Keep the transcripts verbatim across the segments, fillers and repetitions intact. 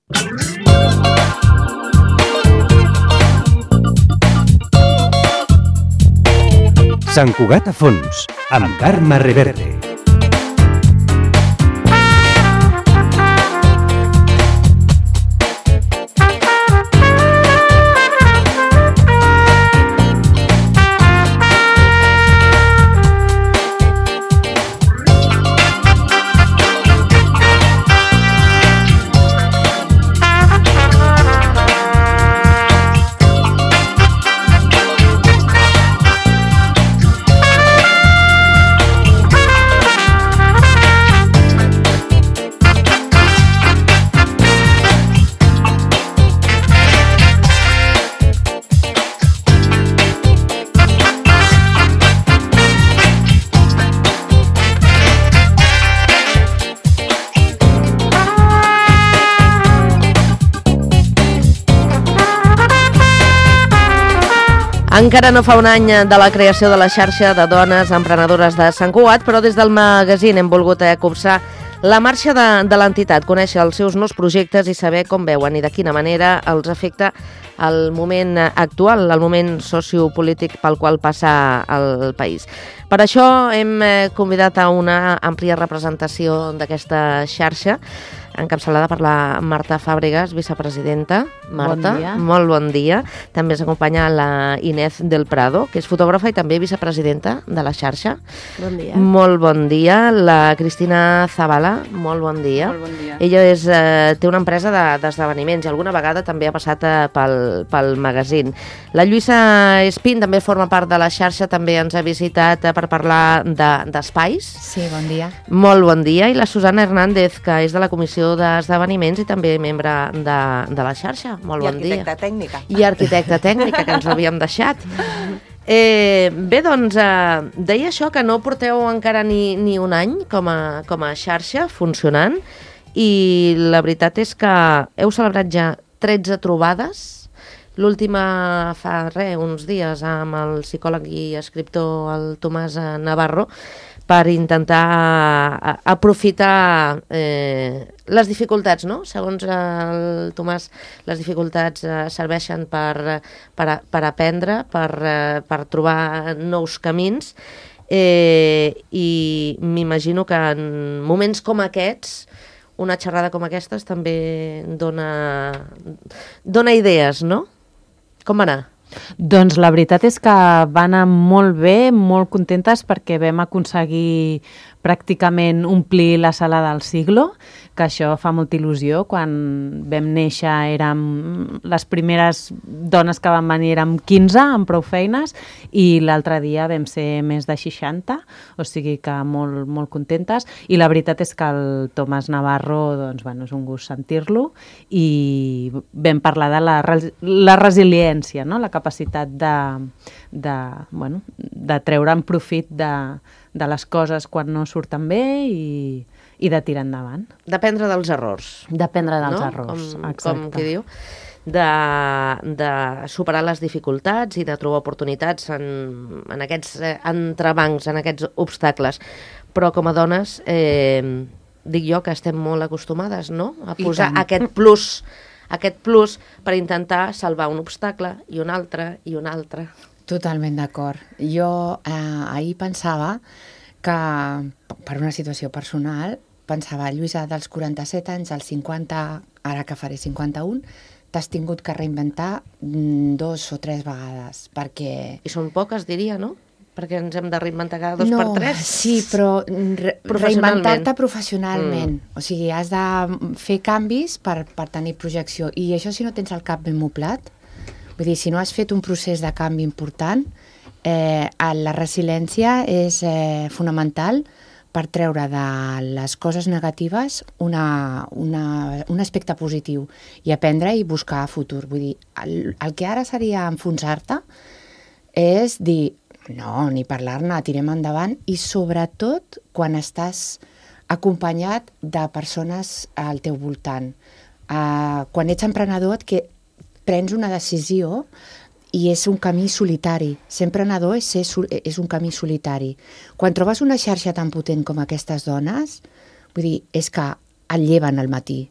Sant Cugat a fons, amb Carme Reverte. Encara no fa un any de la creació de la xarxa de dones emprenedores de Sant Cugat, però des del magazín hem volgut copsar la marxa de, de l'entitat, conèixer els seus nous projectes i saber com veuen i de quina manera els afecta el moment actual, el moment sociopolític pel qual passa el país. Per això hem convidat a una àmplia representació d'aquesta xarxa, encapçalada per la Marta Fàbregas, vicepresidenta. Marta, bon dia. Molt bon dia. També ens acompanya la Inés del Prado, que és fotògrafa i també vicepresidenta de la xarxa. Bon dia. Molt bon dia. La Cristina Zavala, molt bon dia. Molt bon dia. Ella és, eh, té una empresa d'esdeveniments de, i alguna vegada també ha passat eh, pel, pel magazín. La Lluïsa Espín també forma part de la xarxa, també ens ha visitat eh, per parlar d'espais. De, sí, bon dia. Molt bon dia. I la Susana Hernández, que és de la Comissió d'Esdeveniments i també membre de, de la xarxa. Molt bon dia. I arquitecta tècnica. I arquitecta tècnica, que ens ho havíem deixat. Eh, bé, doncs, eh, deia això, que no porteu encara ni, ni un any com a, com a xarxa funcionant, i la veritat és que heu celebrat ja tretze trobades. L'última fa res, uns dies, amb el psicòleg i escriptor el Tomàs Navarro, per intentar aprofitar eh, les dificultats, no? Segons el Tomàs, les dificultats eh, serveixen per, per, per aprendre, per, eh, per trobar nous camins, eh, i m'imagino que en moments com aquests, una xerrada com aquestes també dona, dona idees, no? Com va anar? Doncs la veritat és que va anar molt bé, molt contentes perquè vam aconseguir pràcticament omplir la sala del siglo, que això fa molta il·lusió. Quan vam néixer érem les primeres dones que van venir, érem quinze amb prou feines, i l'altre dia vam ser més de seixanta, o sigui que molt, molt contentes. I la veritat és que el Tomàs Navarro, doncs, bueno, és un gust sentir-lo, i vam parlar de la, la resiliència, no? La capacitat de, de, bueno, de treure'n profit de, de les coses quan no surten bé i, i de tirar endavant. D'aprendre dels errors. D'aprendre dels no? errors, com, exacte. Com qui diu. De, de superar les dificultats i de trobar oportunitats en, en aquests entrebancs, en aquests obstacles. Però com a dones, eh, dic jo que estem molt acostumades, no? A posar aquest plus, aquest plus per intentar salvar un obstacle i un altre i un altre. Totalment d'acord. Jo eh, ahir pensava que, per una situació personal, pensava, Lluïsa, dels quaranta-set anys als cinquanta, ara que faré cinquanta-un, t'has tingut que reinventar dos o tres vegades, perquè... I són poques, diria, no? Perquè ens hem de reinventar cada dos no, per tres. Sí, però re reinventar-te professionalment. Mm. O sigui, has de fer canvis per, per tenir projecció. I això si no tens el cap ben moblat, vull dir, si no has fet un procés de canvi important, eh, la resiliència és eh, fonamental per treure de les coses negatives una, una, un aspecte positiu i aprendre i buscar futur. Vull dir, el, el que ara seria enfonsar-te és dir, no, ni parlar-ne, tirem endavant, i sobretot quan estàs acompanyat de persones al teu voltant. Uh, quan ets emprenedor, que prens una decisió i és un camí solitari. Ser emprenedor és, ser, és un camí solitari. Quan trobes una xarxa tan potent com aquestes dones, vull dir, és que et lleven al matí.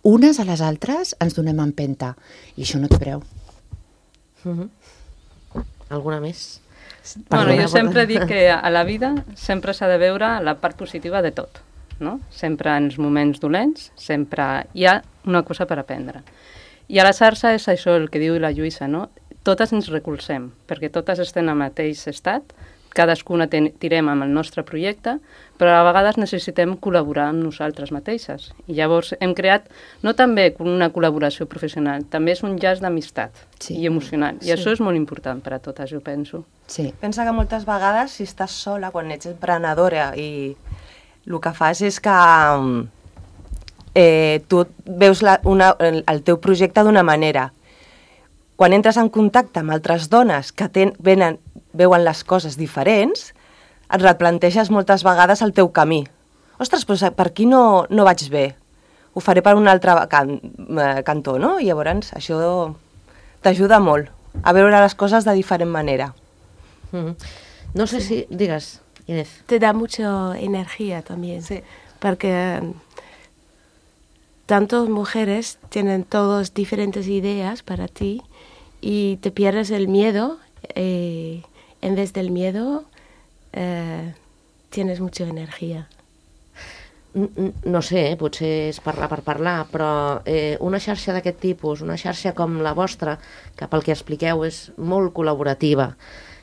unes a les altres ens donem empenta, i això no té preu. Uh-huh. Alguna més? Bueno, jo sempre dic que a la vida sempre s'ha de veure la part positiva de tot, no? Sempre en els moments dolents, sempre hi ha una cosa per aprendre. I a la xarxa és això el que diu la Lluïsa, no? Totes ens recolzem, perquè totes estem al mateix estat, cadascuna ten, tirem amb el nostre projecte, però a vegades necessitem col·laborar amb nosaltres mateixes. I llavors hem creat, no també una col·laboració professional, també és un llaç d'amistat Sí. i emocional. I Sí. això és molt important per a totes, jo penso. Sí. Pensa que moltes vegades, si estàs sola, quan ets emprenedora i el que fas és que eh, tu veus la, una, el, el teu projecte d'una manera. Quan entres en contacte amb altres dones que ten, venen, veuen les coses diferents, et replanteges moltes vegades el teu camí. Ostres, però per aquí no, no vaig bé. Ho faré per un altre can, eh, cantó, no? I llavors això t'ajuda molt a veure les coses de diferent manera. Uh-huh. No sé si... Digues, Inés. Te da mucha energía también. Sí. Porque tantas mujeres tienen todas diferentes ideas para ti y te pierdes el miedo. Eh, en vez del miedo, eh, tienes mucha energía. No sé, eh, potser és parlar per parlar, però eh, una xarxa d'aquest tipus, una xarxa com la vostra, que pel que expliqueu és molt col·laborativa,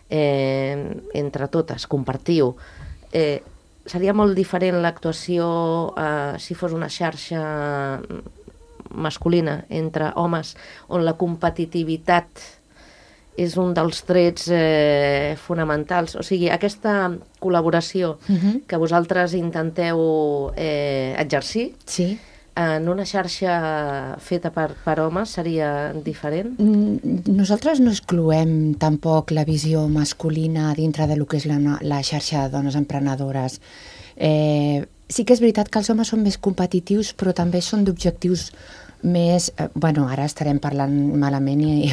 eh, entre totes, compartiu, eh, seria molt diferent l'actuació eh, si fos una xarxa masculina entre homes, on la competitivitat és un dels trets eh, fonamentals. O sigui, aquesta col·laboració Uh-huh. que vosaltres intenteu eh, exercir Sí. en una xarxa feta per, per homes seria diferent? Mm, Nosaltres no excloem tampoc la visió masculina dintre de lo que és la, no- la xarxa de dones emprenedores. Eh, sí que és veritat que els homes són més competitius, però també són d'objectius més... Eh, bueno, ara estarem parlant malament i...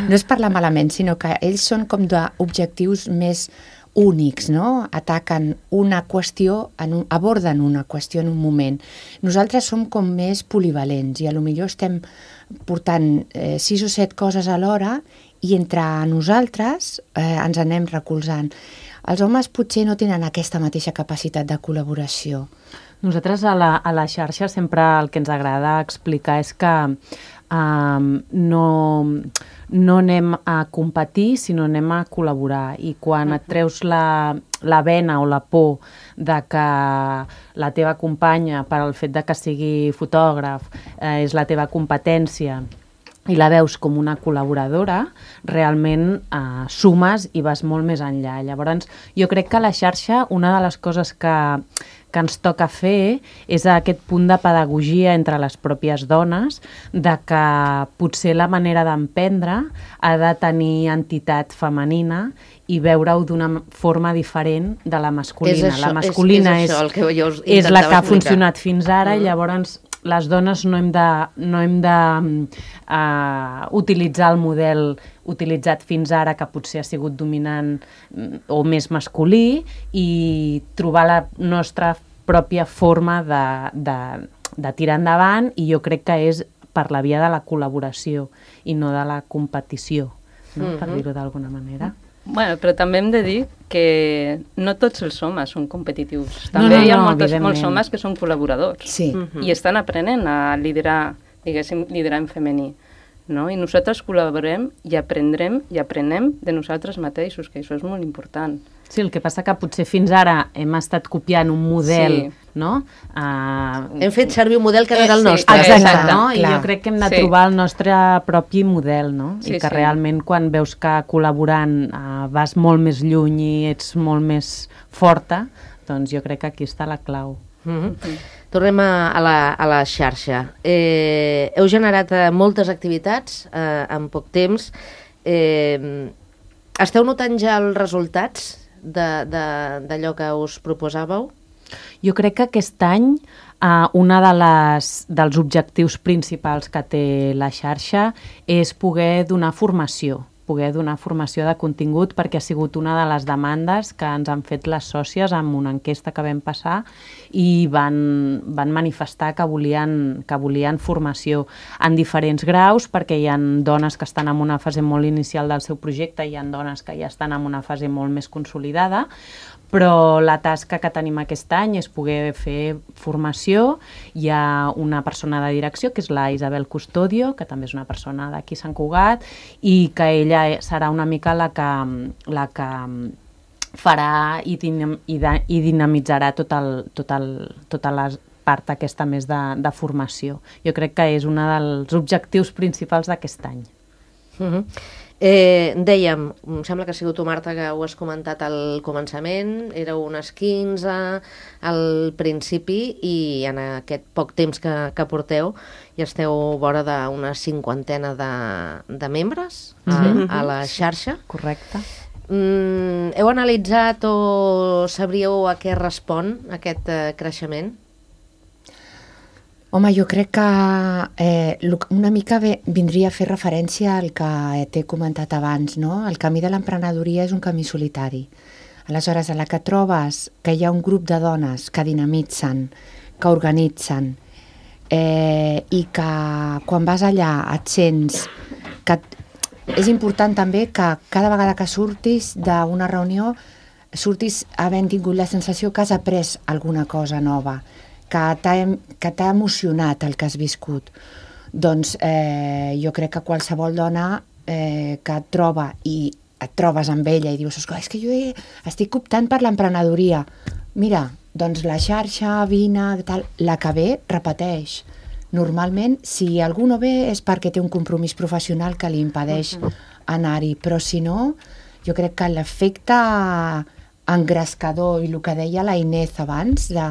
no és parlar malament, sinó que ells són com d'objectius més únics, no? Ataquen una qüestió, en un, aborden una qüestió en un moment. Nosaltres som com més polivalents i a lo millor estem portant eh, sis o set coses alhora i entre nosaltres eh, ens anem recolzant. Els homes potser no tenen aquesta mateixa capacitat de col·laboració. Nosaltres a la, a la xarxa sempre el que ens agrada explicar és que um, no, no anem a competir, sinó anem a col·laborar. I quan et treus la, la vena o la por de que la teva companya, per al fet de que sigui fotògraf, eh, és la teva competència, i la veus com una col·laboradora, realment eh, sumes i vas molt més enllà. Llavors, jo crec que a la xarxa una de les coses que, que ens toca fer és aquest punt de pedagogia entre les pròpies dones, de que potser la manera d'emprendre ha de tenir entitat femenina i veure-ho d'una forma diferent de la masculina. És això, la masculina és, és, això el que jo us és la intentava que ha explicar. funcionat fins ara, Mm. i llavors les dones no hem de, no hem de uh, utilitzar el model utilitzat fins ara, que potser ha sigut dominant mm, o més masculí, i trobar la nostra pròpia forma de, de, de tirar endavant, i jo crec que és per la via de la col·laboració i no de la competició, no? Mhm. Per dir-ho d'alguna manera. Bueno, però també hem de dir que no tots els homes són competitius. No, També no, hi ha no, moltes, evidentment. molts homes que són col·laboradors. Sí. Mhm. I estan aprenent a liderar, diguéssim, liderar en femení. No? I nosaltres col·laborem i aprendrem i aprenem de nosaltres mateixos, que això és molt important. Sí, el que passa que potser fins ara hem estat copiant un model, Sí. no? Uh, Hem fet servir un model que no Eh, era el sí, nostre. Exacte, Exacte, no? I clar. jo crec que hem de Sí. trobar el nostre propi model, no? Sí, I que sí. realment quan veus que col·laborant uh, vas molt més lluny i ets molt més forta, doncs jo crec que aquí està la clau. Mhm. Tornem a, a, la, a la xarxa. Eh, heu generat eh, moltes activitats eh, en poc temps. Eh, esteu notant ja els resultats de- de- d'allò que us proposàveu? Jo crec que aquest any uh, una de les, dels objectius principals que té la xarxa és poder donar formació poder donar formació de contingut, perquè ha sigut una de les demandes que ens han fet les sòcies amb una enquesta que vam passar i van, van manifestar que volien, que volien formació en diferents graus, perquè hi ha dones que estan en una fase molt inicial del seu projecte i hi ha dones que ja estan en una fase molt més consolidada, però la tasca que tenim aquest any és poder fer formació. Hi ha una persona de direcció, que és la Isabel Custodio, que també és una persona d'aquí Sant Cugat, i que ella serà una mica la que, la que farà i, dinam, i, de, i dinamitzarà tot el, tot el, tota la part aquesta més de, de formació. Jo crec que és un dels objectius principals d'aquest any. Uh-huh. Eh, dèiem, em sembla que ha sigut tu, Marta, que ho has comentat al començament, éreu unes quinze al principi i en aquest poc temps que, que porteu ja esteu vora d'una cinquantena de, de membres a, Mm-hmm. a la xarxa. Correcte. Mm, heu analitzat o sabríeu a què respon aquest eh, creixement? Home, jo crec que eh, una mica bé, vindria a fer referència al que t'he comentat abans, no? El camí de l'emprenedoria és un camí solitari. Aleshores, a la que trobes que hi ha un grup de dones que dinamitzen, que organitzen, eh, i que quan vas allà et sents que és important també que cada vegada que surtis d'una reunió surtis havent tingut la sensació que has après alguna cosa nova, que t'ha emocionat el que has viscut. Doncs eh, jo crec que qualsevol dona eh, que et troba i et trobes amb ella i dius, és que jo he, estic optant per l'emprenedoria. Mira, doncs la xarxa, vine, tal, la que ve, repeteix. Normalment, si algú no ve és perquè té un compromís professional que li impedeix anar-hi, però si no, jo crec que l'efecte engrescador i el que deia la Inés abans, de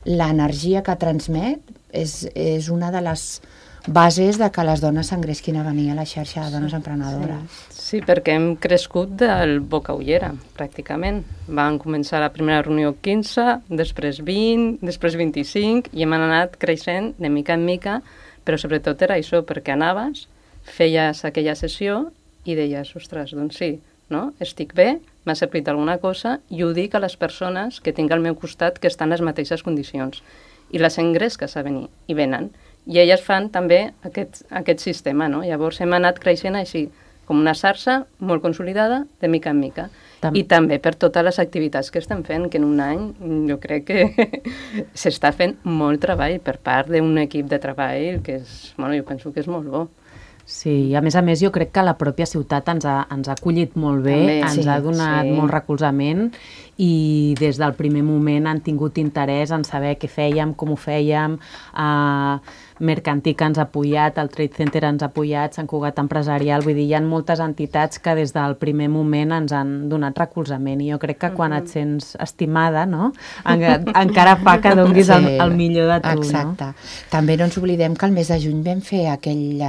l'energia que transmet, és, és una de les bases de que les dones s'engresquin a venir a la xarxa de dones emprenedores. Sí, sí, perquè hem crescut del boca ullera, pràcticament. Van començar la primera reunió quinze, després vint, després vint-i-cinc, i hem anat creixent de mica en mica, però sobretot era això, perquè anaves, feies aquella sessió i deies, ostres, doncs sí, no? Estic bé, m'ha servit alguna cosa i ho dic a les persones que tinc al meu costat que estan en les mateixes condicions. I les engresques a venir, i venen. I elles fan també aquest, aquest sistema, no? Llavors hem anat creixent així, com una xarxa molt consolidada, de mica en mica. Tam I també per totes les activitats que estem fent, que en un any jo crec que s'està fent molt treball per part d'un equip de treball que és, bueno, jo penso que és molt bo. Sí, i a més a més jo crec que la pròpia ciutat ens ha, ens ha acollit molt bé, també, ens sí, ha donat sí. molt recolzament i des del primer moment han tingut interès en saber què fèiem, com ho fèiem, uh, Mercantic ens ha apoyat, el Trade Center ens ha apoyat, Sant Cugat Empresarial, vull dir, hi ha moltes entitats que des del primer moment ens han donat recolzament i jo crec que quan et sents estimada, no? En, encara fa que donis sí, el, el millor de tu, exacte. No? També no ens oblidem que el mes de juny vam fer aquell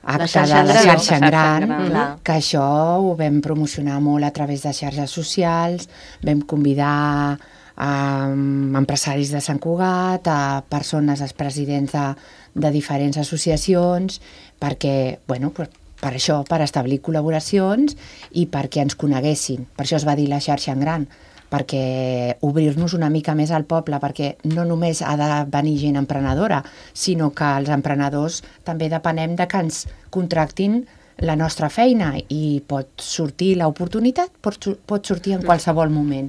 acte la de la xarxa en gran, gran, que això ho vam promocionar molt a través de xarxes socials, vam convidar a empresaris de Sant Cugat, a persones, als presidents de, de diferents associacions, perquè, bueno, per, per això, per establir col·laboracions i perquè ens coneguessin. Per això es va dir la xarxa en gran, perquè obrir-nos una mica més al poble, perquè no només ha de venir gent emprenedora, sinó que els emprenedors també depenem de que ens contractin la nostra feina i pot sortir l'oportunitat, pot, pot sortir en qualsevol moment.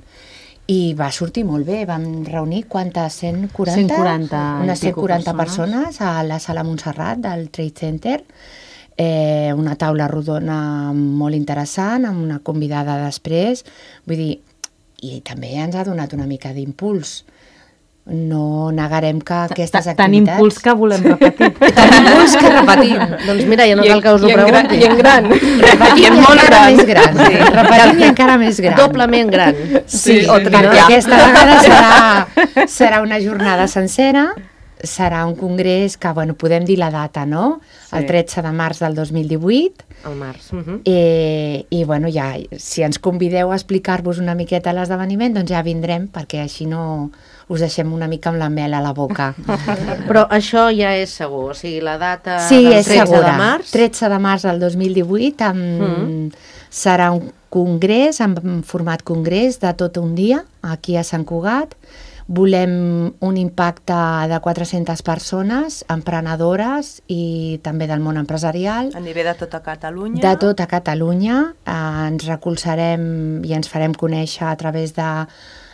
I va sortir molt bé, vam reunir quantes? cent quaranta? cent quaranta unes cent quaranta persones. persones a la sala Montserrat del Trade Center, eh, una taula rodona molt interessant, amb una convidada després, vull dir, i també ens ha donat una mica d'impuls. No negarem que aquestes activitats... Tan impuls que volem repetir. Tan impuls que repetim. Doncs mira, ja no cal que us ho pregunti. I en gran. Repetim molt gran. Més gran. Sí. Repetim i encara més gran. Doblement gran. Sí, sí, sí, perquè aquesta vegada serà, serà una jornada sencera serà un congrés que, bueno, podem dir la data, no? Sí. El tretze de març del dos mil divuit. El març. Uh -huh. I, I, bueno, ja, si ens convideu a explicar-vos una miqueta l'esdeveniment, doncs ja vindrem, perquè així no us deixem una mica amb la mel a la boca. Però això ja és segur, o sigui, la data sí, del és tretze segura. de març... tretze de març del dos mil divuit, amb... mm. serà un congrés, en format congrés, de tot un dia, aquí a Sant Cugat. Volem un impacte de quatre-centes persones, emprenedores i també del món empresarial. A nivell de tota Catalunya? De tota Catalunya. Eh, ens recolzarem i ens farem conèixer a través de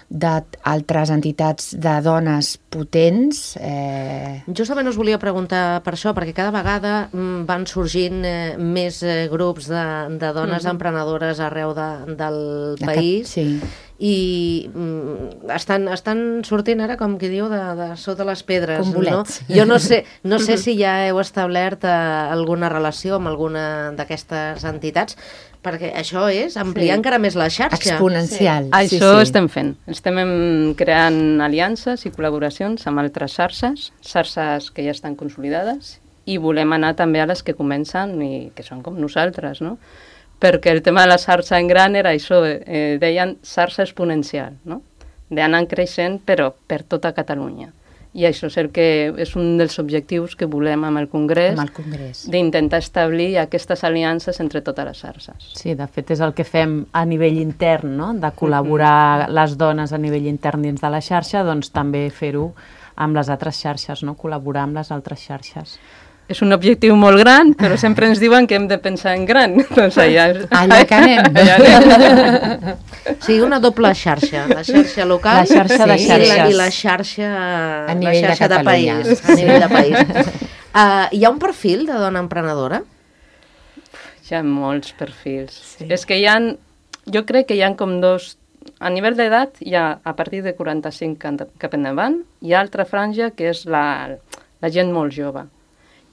d'altres entitats de dones potents. Eh... Justament us volia preguntar per això, perquè cada vegada van sorgint eh, més eh, grups de, de dones mm-hmm. emprenedores arreu de, del de país. Cap... Sí. I mm, estan, estan sortint ara, com qui diu, de, de sota les pedres. Com bolets. No? Jo no sé, no sé si ja heu establert eh, alguna relació amb alguna d'aquestes entitats, perquè això és ampliar sí. encara més la xarxa. Exponencial. Sí. Sí, això sí. estem fent. Estem creant aliances i col·laboracions amb altres xarxes, xarxes que ja estan consolidades, i volem anar també a les que comencen i que són com nosaltres, no? Perquè el tema de la xarxa en gran era això, eh, deien xarxa exponencial, no? D'anar creixent, però per tota Catalunya. I això és, el que és un dels objectius que volem amb el Congrés, amb el Congrés. d'intentar establir aquestes aliances entre totes les xarxes. Sí, de fet és el que fem a nivell intern, no? De col·laborar les dones a nivell intern dins de la xarxa, doncs també fer-ho amb les altres xarxes, no? Col·laborar amb les altres xarxes. És un objectiu molt gran, però sempre ens diuen que hem de pensar en gran. Doncs allà, allà que anem. Allà anem. O sigui, una doble xarxa, la xarxa local la xarxa de sí, xarxes. i, la, i la xarxa, a nivell la xarxa de, de país. A nivell de país. Uh, hi ha un perfil de dona emprenedora? Hi ha molts perfils. Sí. És que hi ha, jo crec que hi ha com dos... A nivell d'edat, hi ha a partir de quaranta-cinc cap endavant, hi ha altra franja que és la, la gent molt jove.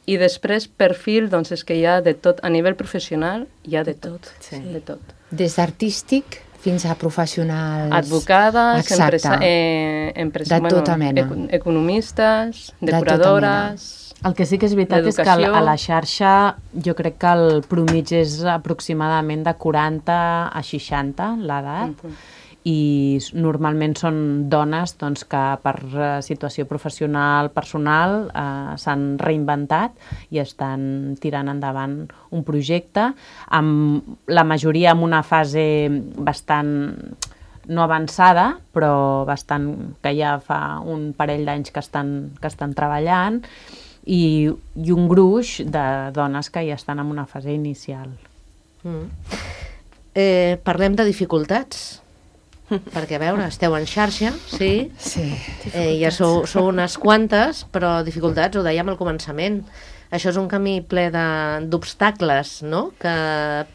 I després, perfil, doncs és que hi ha de tot. A nivell professional, hi ha de tot. Sí. De tot. Des d'artístic fins a professionals... Advocades, empresa, eh, empresa, de tota bueno, mena. Econ deconomistes, decoradores... De el que sí que és veritat és que a la xarxa jo crec que el promig és aproximadament de quaranta a seixanta, l'edat, uh-huh. i normalment són dones doncs, que per situació professional, personal, eh, s'han reinventat i estan tirant endavant un projecte, amb la majoria en una fase bastant no avançada, però bastant que ja fa un parell d'anys que estan, que estan treballant, i, i un gruix de dones que ja estan en una fase inicial. Mm. Eh, parlem de dificultats. Perquè, a veure, esteu en xarxa, sí? Sí. Eh, ja sou, sou unes quantes, però dificultats, ho dèiem al començament. Això és un camí ple d'obstacles, no? Que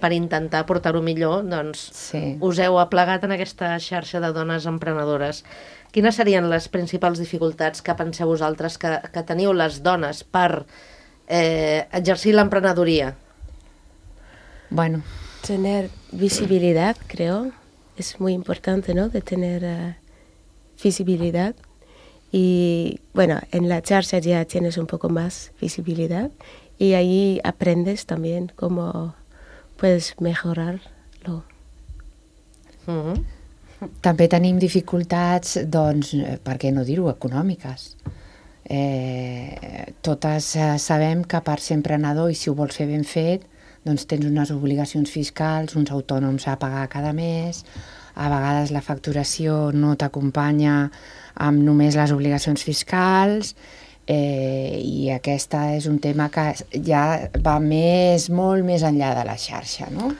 per intentar portar-ho millor, doncs, sí. us heu aplegat en aquesta xarxa de dones emprenedores. Quines serien les principals dificultats que penseu vosaltres que, que teniu les dones per eh, exercir l'emprenedoria? Bueno. Tener visibilidad, creo. Es muy importante, ¿no? De tener uh, visibilidad. Y bueno, en la charla ya tienes un poco más visibilidad y ahí aprendes también cómo puedes mejorarlo. Mm-hmm. També tenim dificultats, doncs, per què no dir-ho, econòmiques. Eh, totes eh, sabem que per ser emprenedor, i si ho vols fer ben fet, doncs tens unes obligacions fiscals, uns autònoms a pagar cada mes, a vegades la facturació no t'acompanya amb només les obligacions fiscals, eh, i aquesta és un tema que ja va més, molt més enllà de la xarxa, no?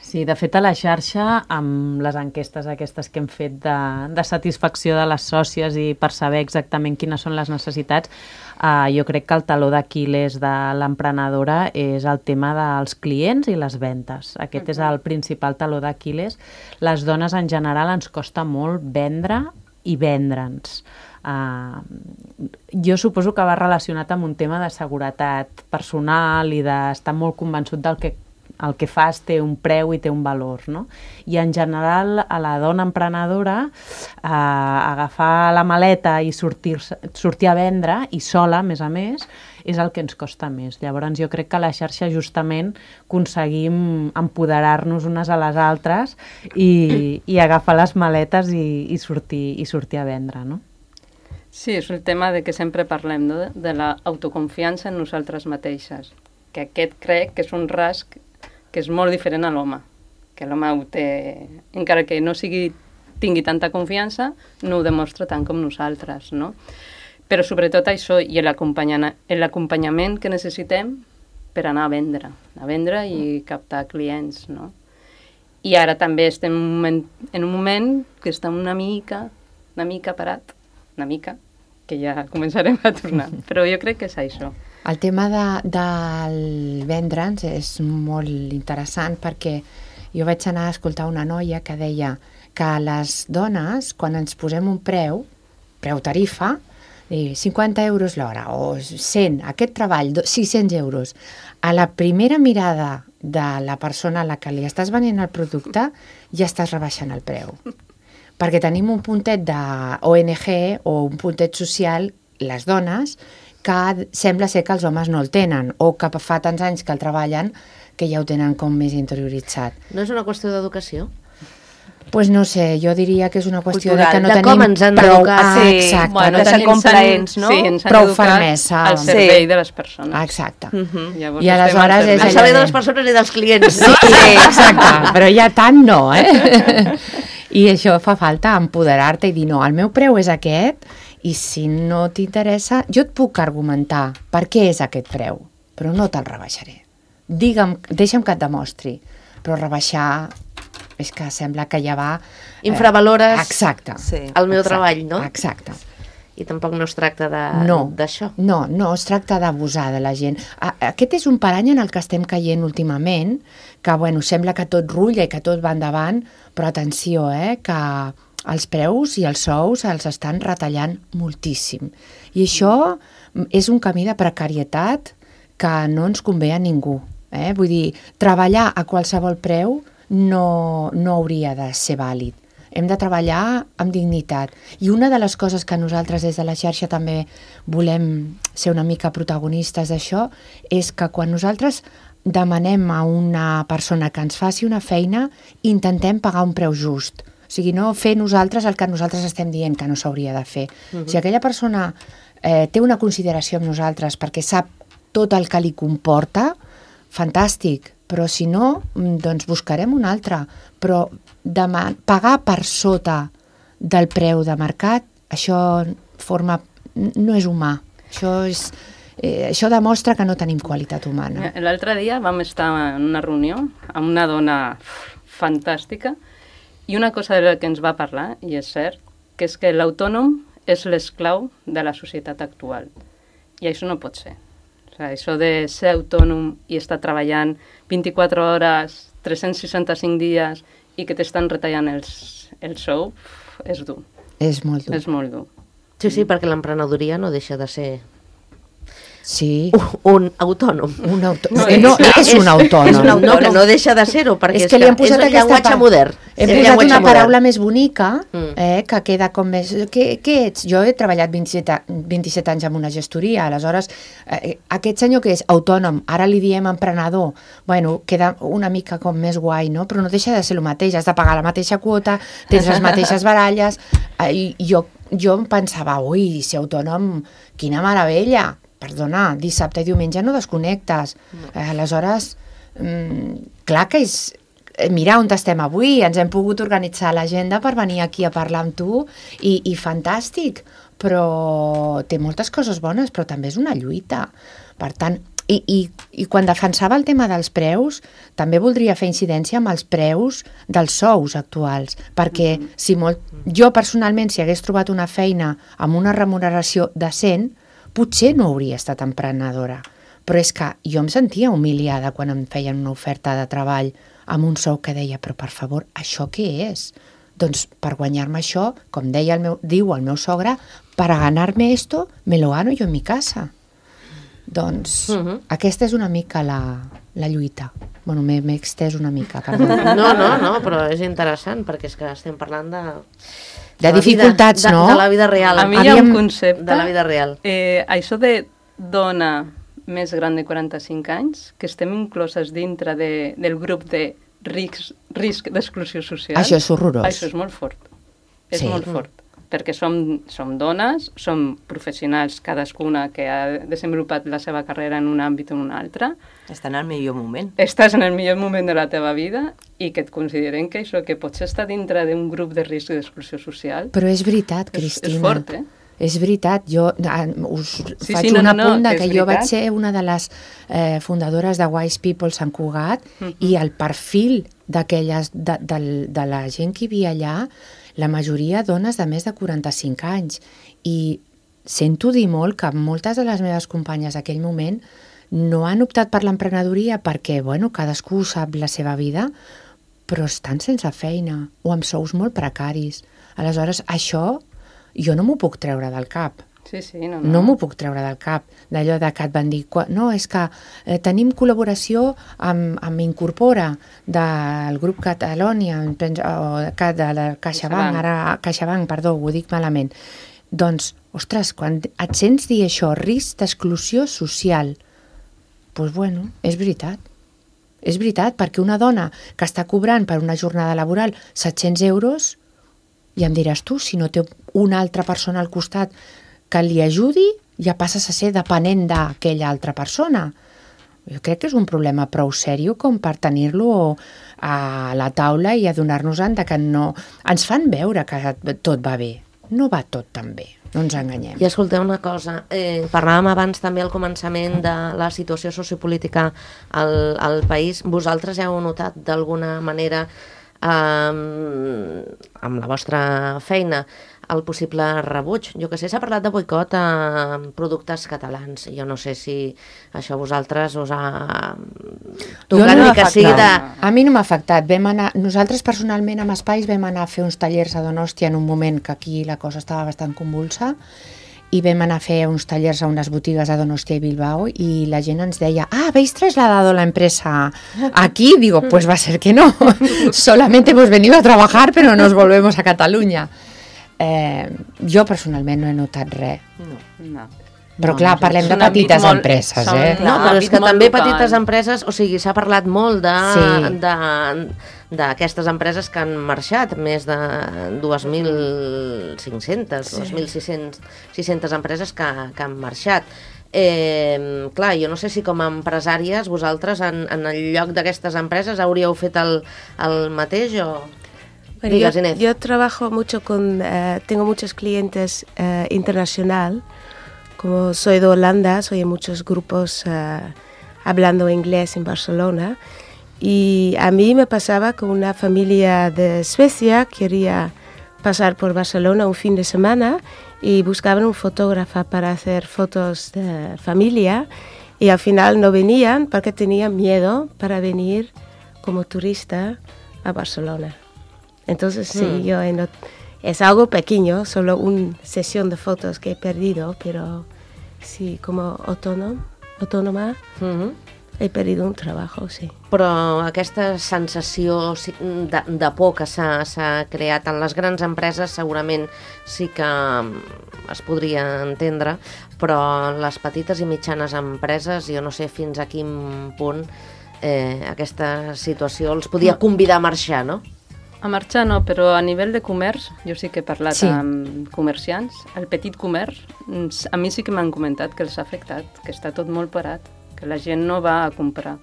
Sí, de fet a la xarxa, amb les enquestes aquestes que hem fet de, de satisfacció de les sòcies i per saber exactament quines són les necessitats, eh, jo crec que el taló d'Aquil·les de l'emprenedora és el tema dels clients i les ventes. Aquest uh-huh. és el principal taló d'Aquil·les. Les dones en general ens costa molt vendre i vendre'ns. Uh, jo suposo que va relacionat amb un tema de seguretat personal i d'estar molt convençut del que el que fas té un preu i té un valor, no? I en general a la dona emprenedora eh, agafar la maleta i sortir, sortir a vendre, i sola, a més a més, és el que ens costa més. Llavors jo crec que a la xarxa justament aconseguim empoderar-nos unes a les altres i, i agafar les maletes i, i, sortir, i sortir a vendre, no? Sí, és el tema de que sempre parlem, no? De l'autoconfiança en nosaltres mateixes, que aquest crec que és un rasg que és molt diferent a l'home, que l'home ho té, encara que no sigui, tingui tanta confiança, no ho demostra tant com nosaltres, no? Però sobretot això i l'acompanyament que necessitem per anar a vendre, a vendre i captar clients, no? I ara també estem en un moment, en un moment que està una mica, una mica parat, una mica, que ja començarem a tornar. Però jo crec que és això. El tema de, del vendre'ns és molt interessant perquè jo vaig anar a escoltar una noia que deia que les dones, quan ens posem un preu, preu tarifa, cinquanta euros l'hora o cent, aquest treball, sis-cents euros, a la primera mirada de la persona a la que li estàs venent el producte ja estàs rebaixant el preu. Perquè tenim un puntet d'O N G o un puntet social, les dones, que sembla ser que els homes no el tenen, o que fa tants anys que el treballen que ja ho tenen com més interioritzat. No és una qüestió d'educació? Doncs pues no sé, jo diria que és una qüestió cultural, de que no de tenim com ens han prou... d'educar. Ah, sí, exacte, bueno, no de ser tenim complaents, no? Sí, ens han prou educat fermesa. al servei Sí. de les persones. Exacte. Uh-huh. Llavors I estem aleshores al és Al allò servei de de- les persones i dels clients. Sí, sí, exacte, però ja tant no, eh? I això fa falta, empoderar-te i dir no, el meu preu és aquest i si no t'interessa, jo et puc argumentar per què és aquest preu, però no te'l rebaixaré. Digue'm, deixa'm que et demostri, però rebaixar és que sembla que ja va... eh, Infravalores Exacte. Sí. el meu Exacte, treball, no? Exacte. I tampoc no es tracta No, d'això. no, no, es tracta d'abusar de la gent. A- Aquest és un parany en el que estem caient últimament, que bueno, sembla que tot rulla i que tot va endavant, però atenció, eh, que els preus i els sous els estan retallant moltíssim. I això és un camí de precarietat que no ens convé a ningú. Eh? Vull dir, treballar a qualsevol preu no, no hauria de ser vàlid. Hem de treballar amb dignitat. I una de les coses que nosaltres des de la xarxa també volem ser una mica protagonistes d'això és que quan nosaltres demanem a una persona que ens faci una feina, intentem pagar un preu just. O sigui, no fer nosaltres el que nosaltres estem dient que no s'hauria de fer. Uh-huh. Si aquella persona eh, té una consideració amb nosaltres perquè sap tot el que li comporta, fantàstic, però si no, doncs buscarem un altre. Però demà, pagar per sota del preu de mercat, això forma, no és humà. Això, és, eh, això demostra que no tenim qualitat humana. L'altre dia vam estar en una reunió amb una dona fantàstica i una cosa de la que ens va parlar, i és cert, que és que l'autònom és l'esclau de la societat actual. I això no pot ser. O sigui, això de ser autònom i estar treballant vint-i-quatre hores, tres-cents seixanta-cinc dies i que t'estan retallant els, el sou, és dur. És molt dur. És molt dur. Sí, sí, perquè l'emprenedoria no deixa de ser Sí. un autònom. Un autò... No, no, és- és un autònom. És un autònom. No, que no deixa de ser-ho, perquè és que li hem posat és un aquesta llenguatge pa- modern. Hem És un posat llenguatge una modern. paraula més bonica, Mm. eh, que queda com més... Què, què ets? Jo he treballat vint-i-set, vint-i-set anys en una gestoria, aleshores, eh, aquest senyor que és autònom, ara li diem emprenedor, bueno, queda una mica com més guai, no? Però no deixa de ser el mateix, has de pagar la mateixa quota, tens les mateixes baralles, eh, i jo, jo em pensava, ui, ser autònom, quina meravella! Perdona, dissabte i diumenge no desconnectes. Eh, aleshores, mm, clar que és... eh, Mira on estem avui, ens hem pogut organitzar l'agenda per venir aquí a parlar amb tu i, i fantàstic, però té moltes coses bones, però també és una lluita. Per tant, i, i, i quan defensava el tema dels preus, també voldria fer incidència amb els preus dels sous actuals, perquè si molt, jo personalment, si hagués trobat una feina amb una remuneració decent, potser no hauria estat emprenedora, però és que jo em sentia humiliada quan em feien una oferta de treball amb un sou que deia, però per favor, això què és? Doncs per guanyar-me això, com deia el meu, diu el meu sogre, para ganarme esto, me lo gano yo en mi casa. Doncs Uh-huh. aquesta és una mica la, la lluita. Bueno, m'he extès una mica, perdó. No, no, no, però és interessant, perquè és que estem parlant de... De dificultats, vida, no? De, de la vida real. A mi hi ha un concepte... De la vida real. Eh, això de dona més gran de quaranta-cinc anys, que estem incloses dintre de, del grup de risc, risc d'exclusió social... Això és horrorós. Això és molt fort. És Sí. molt fort. Perquè som, som dones, som professionals, cadascuna que ha desenvolupat la seva carrera en un àmbit o en un altre. Està en el millor moment. Estàs en el millor moment de la teva vida i que et consideren que això, que potser està dintre d'un grup de risc d'exclusió social... Però és veritat, és, Cristina. és fort, eh? És veritat, jo ah, us Sí, faig sí, no, un no, no, apunt de és que jo vaig veritat. ser una de les eh, fundadores de Wise People Sant Cugat Mhm. i el perfil d'aquelles de, de, de la gent que hi havia allà, la majoria dones de més de quaranta-cinc anys. I sento dir molt que moltes de les meves companyes d'aquell moment no han optat per l'emprenedoria perquè, bueno, cadascú sap la seva vida, però estan sense feina o amb sous molt precaris. Aleshores, això jo no m'ho puc treure del cap. Sí, sí, no, No m'ho puc treure del cap, d'allò de que et van dir, qua- no, és que eh, tenim col·laboració amb, amb Incorpora, del grup Catalònia, em penso, o de, ca- de la CaixaBank, CaixaBank. ara CaixaBank, perdó, ho dic malament. Doncs, ostres, quan et sents dir això, risc d'exclusió social, doncs bueno, és veritat. És veritat, perquè una dona que està cobrant per una jornada laboral set-cents euros, i em diràs tu, si no té una altra persona al costat que li ajudi, ja passes a ser depenent d'aquella altra persona. Jo crec que és un problema prou sèrio com per tenir-lo a la taula i adonar-nos-en de que no... Ens fan veure que tot va bé. No va tot tan bé, no ens enganyem. I escolteu una cosa, eh, parlàvem abans també al començament de la situació sociopolítica al, al país. Vosaltres heu notat d'alguna manera eh, amb la vostra feina el possible rebuig? Jo que sé, s'ha parlat de boicot a productes catalans. Jo no sé si això a vosaltres us ha tocat no ni m'ha que sigui de... afectat. A mi no m'ha afectat. Vam anar, nosaltres personalment amb Espais vam anar a fer uns tallers a Donòstia en un moment que aquí la cosa estava bastant convulsa i vam anar a fer uns tallers a unes botigues a Donostia i Bilbao i la gent ens deia, ah, ¿habéis trasladado la empresa aquí? Digo, pues va a ser que no. Solamente hemos venido a trabajar pero nos volvemos a Catalunya. Eh, jo personalment no he notat res. No. No. Però No, clar, no, parlem és de un àmbit petites molt- empreses, són- eh? No, Clar, però és àmbit que molt també local. petites empreses, o sigui, s'ha parlat molt de Sí. de- d'aquestes empreses que han marxat, més de dos mil cinc-centes, dos mil sis-centes empreses que, que han marxat. Eh, clar, jo no sé si com a empresàries vosaltres en, en el lloc d'aquestes empreses hauríeu fet el, el mateix o... Bueno, Digas, yo, Inés. yo trabajo mucho con, eh, tengo muchos clientes eh, internacional, como soy de Holanda, soy en muchos grupos eh, hablando inglés en Barcelona, y a mí me pasaba que una familia de Suecia quería pasar por Barcelona un fin de semana y buscaban un fotógrafo para hacer fotos de familia y al final no venían porque tenían miedo para venir como turista a Barcelona. Entonces, sí, Hmm. yo he not- es algo pequeño, solo una sesión de fotos que he perdido, pero sí, como autónomo, autónoma, Mhm. he perdido un trabajo, sí. Però aquesta sensació si- de, de por que s'ha s'ha creat en les grans empreses segurament sí que mm, es podria entendre, però en les petites i mitjanes empreses jo no sé fins a quin punt eh, aquesta situació els podia convidar a marxar, no? A marxar no, però a nivell de comerç, jo sí que he parlat Sí. amb comerciants, el petit comerç, mm, a mi sí que m'han comentat que els ha afectat, que està tot molt parat, que la gent no va a comprar.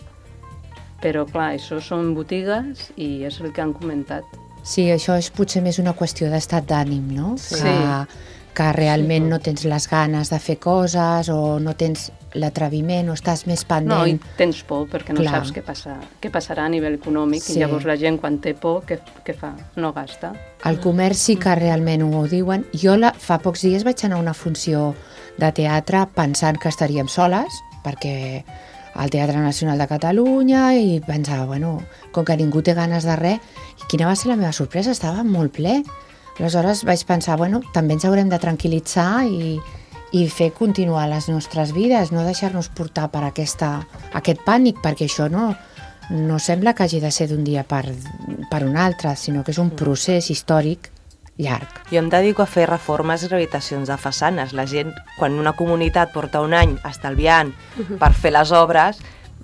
Però clar, això són botigues i és el que han comentat. Sí, això és potser més una qüestió d'estat d'ànim, no? Sí. Que, que realment Sí. no tens les ganes de fer coses o no tens l'atreviment o estàs més No, i pendent. tens por perquè no Clar. saps què, passa, què passarà a nivell econòmic Sí. i llavors la gent quan té por, què, què fa? No gasta. El comerç sí que realment ho diuen. Jo la, fa pocs dies vaig anar a una funció de teatre pensant que estaríem soles, perquè al Teatre Nacional de Catalunya i pensava, bueno, com que ningú té ganes de res, i quina va ser la meva sorpresa? Estava molt ple. Aleshores vaig pensar, bueno, també ens haurem de tranquil·litzar i, i fer continuar les nostres vides, no deixar-nos portar per aquesta, aquest pànic, perquè això no, no sembla que hagi de ser d'un dia per, per un altre, sinó que és un procés històric llarg. Jo em dedico a fer reformes i rehabilitacions de façanes. La gent, quan una comunitat porta un any estalviant per fer les obres,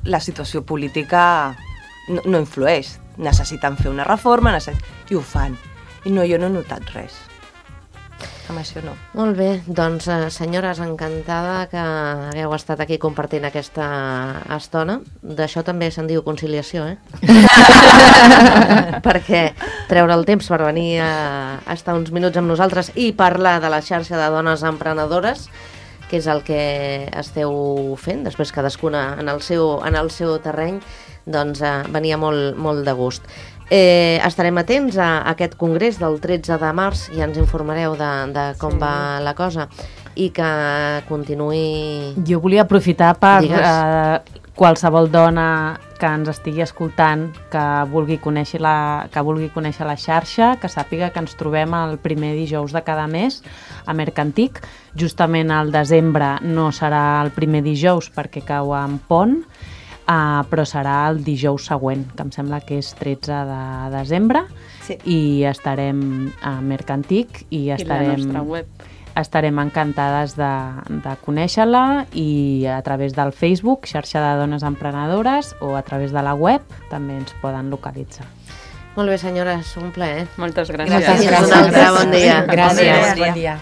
la situació política no, no influeix. Necessiten fer una reforma necess... i ho fan. I no, jo no he notat res. Amb això no. Molt bé, doncs eh, senyores, encantada que hagueu estat aquí compartint aquesta estona. D'això també se'n diu conciliació, eh? Perquè treure el temps per venir a estar uns minuts amb nosaltres i parlar de la xarxa de dones emprenedores, que és el que esteu fent, després cadascuna en el seu, en el seu terreny, doncs eh, venia molt, molt de gust. Eh, estarem atents a aquest congrés del tretze de març i ens informareu de, de com sí. va la cosa i que continuï... Jo volia aprofitar per eh, qualsevol dona que ens estigui escoltant, que vulgui conèixer la, que vulgui conèixer la xarxa, que sàpiga que ens trobem el primer dijous de cada mes a Mercantic. Justament al desembre no serà el primer dijous perquè cau en pont, Uh, però serà el dijous següent, que em sembla que és tretze de desembre, sí. I estarem a Mercantic i estarem, I la nostra web. Estarem encantades de, de conèixer-la i a través del Facebook, xarxa de dones emprenedores, o a través de la web també ens poden localitzar. Molt bé, senyores, un plaer. Moltes gràcies. Moltes gràcies. Un altre bon dia. Gràcies, bon dia.